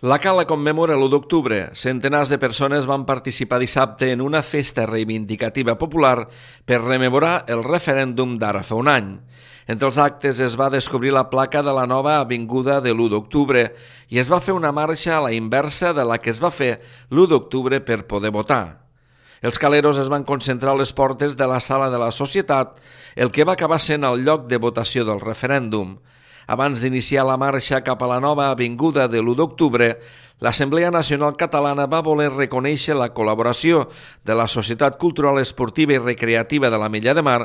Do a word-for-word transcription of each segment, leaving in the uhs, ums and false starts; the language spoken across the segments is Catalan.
La Cala commemora l'u d'octubre. Centenars de persones van participar dissabte en una festa reivindicativa popular per rememorar el referèndum d'ara fa un any. Entre els actes es va descobrir la placa de la nova avinguda de l'u d'octubre i es va fer una marxa a la inversa de la que es va fer l'u d'octubre per poder votar. Els caleros es van concentrar a les portes de la Sala de la Societat, el que va acabar sent el lloc de votació del referèndum. Abans d'iniciar la marxa cap a la nova avinguda de l'u d'octubre, l'Assemblea Nacional Catalana va voler reconèixer la col·laboració de la Societat Cultural Esportiva i Recreativa de l'Ametlla de Mar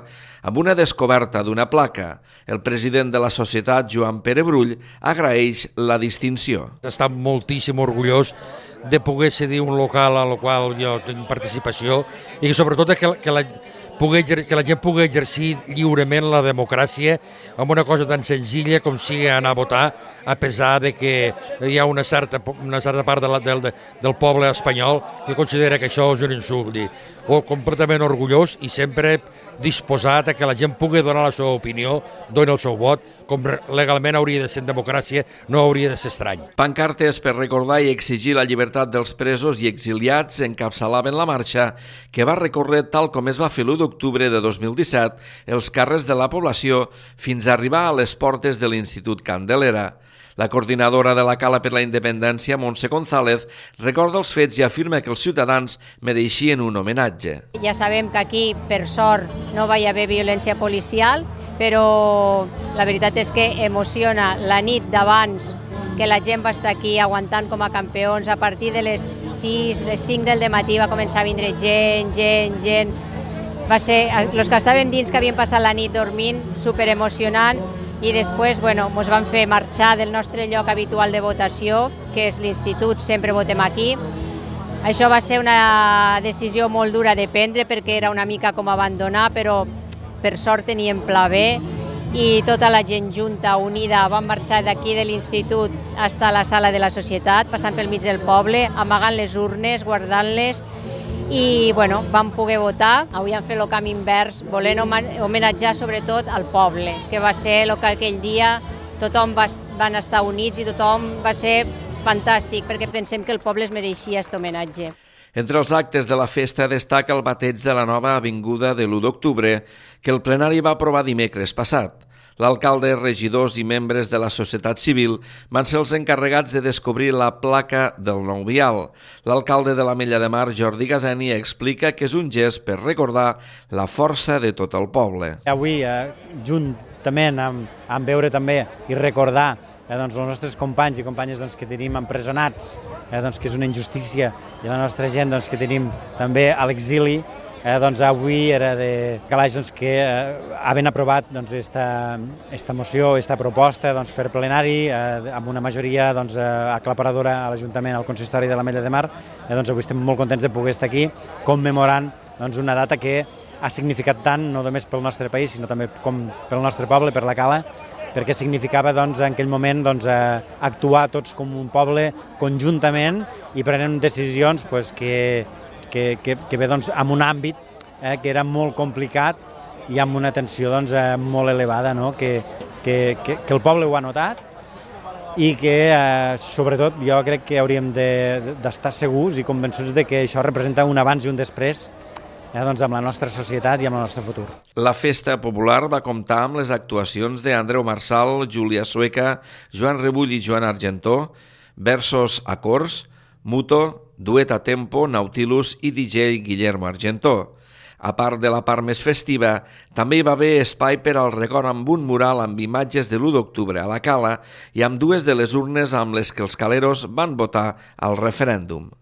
amb una descoberta d'una placa. El president de la societat, Joan Pere Brull, agraeix la distinció. Està moltíssim orgullós de poder cedir un local al qual jo tinc participació i sobretot que, que la... que la gent pugui exercir lliurement la democràcia amb una cosa tan senzilla com sigui anar a votar, a pesar de que hi ha una certa, una certa part de la, del, del poble espanyol que considera que això és un insult. O completament orgullós i sempre disposat a que la gent pugui donar la seva opinió, doni el seu vot, com legalment hauria de ser en democràcia, no hauria de ser estrany. Pancartes per recordar i exigir la llibertat dels presos i exiliats encapçalaven la marxa que va recórrer, tal com es va fer l'u d'octubre de dos mil disset, els carrers de la població fins a arribar a les portes de l'Institut Candelera. La coordinadora de la Cala per la Independència, Montse González, recorda els fets i afirma que els ciutadans mereixien un homenatge. Ja sabem que aquí, per sort, no va haver violència policial, però la veritat és que emociona la nit d'abans que la gent va estar aquí aguantant com a campions. A partir de les sis, les cinc del matí va començar a vindre gent, gent, gent. Va ser, els que estaven dins, que havien passat la nit dormint, superemocionant, i després bueno, ens van fer marxar del nostre lloc habitual de votació, que és l'Institut, sempre votem aquí. Això va ser una decisió molt dura de prendre perquè era una mica com abandonar, però per sort teníem pla B i tota la gent junta, unida, van marxar d'aquí de l'Institut fins a la Sala de la Societat, passant pel mig del poble, amagant les urnes, guardant-les, i bueno, vam poder votar. Avui han fet el camí invers, volent homenatjar sobretot al poble, que va ser el que aquell dia tothom va, van estar units i tothom va ser fantàstic, perquè pensem que el poble es mereixia aquest homenatge. Entre els actes de la festa destaca el bateig de la nova avinguda de l'u d'octubre, que el plenari va aprovar dimecres passat. L'alcalde, regidors i membres de la societat civil van ser els encarregats de descobrir la placa del nou vial. L'alcalde de l'Ametlla de Mar, Jordi Gazeni, explica que és un gest per recordar la força de tot el poble. Avui, eh, juntament amb, amb veure també i recordar eh, doncs, els nostres companys i companyes doncs, que tenim empresonats, eh, doncs, que és una injustícia, i la nostra gent doncs, que tenim també a l'exili, Eh, doncs avui era de calaix doncs, que eh, havent aprovat doncs, esta, esta moció, esta proposta doncs, per plenari, eh, amb una majoria doncs, eh, aclaparadora a l'Ajuntament, al Consistori de l'Ametlla de Mar, eh, doncs, avui estem molt contents de poder estar aquí commemorant doncs, una data que ha significat tant, no només pel nostre país, sinó també com pel nostre poble, per la Cala, perquè significava doncs, en aquell moment doncs, eh, actuar tots com un poble conjuntament i prenent decisions pues, que que, que, que ve doncs, en un àmbit eh, que era molt complicat i amb una tensió doncs, eh, molt elevada, no? que, que, que, que el poble ho ha notat i que, eh, sobretot, jo crec que hauríem d'estar de, segurs i convençuts de que això representa un abans i un després eh, doncs, amb la nostra societat i amb el nostre futur. La festa popular va comptar amb les actuacions d'Andreu Marsal, Júlia Sueca, Joan Rebull i Joan Argentó, Versos Acords, Muto, Duet a Tempo, Nautilus i D J Guillermo Argentó. A part de la part més festiva, també hi va haver espai per al record amb un mural amb imatges de l'u d'octubre a la Cala i amb dues de les urnes amb les que els caleros van votar al referèndum.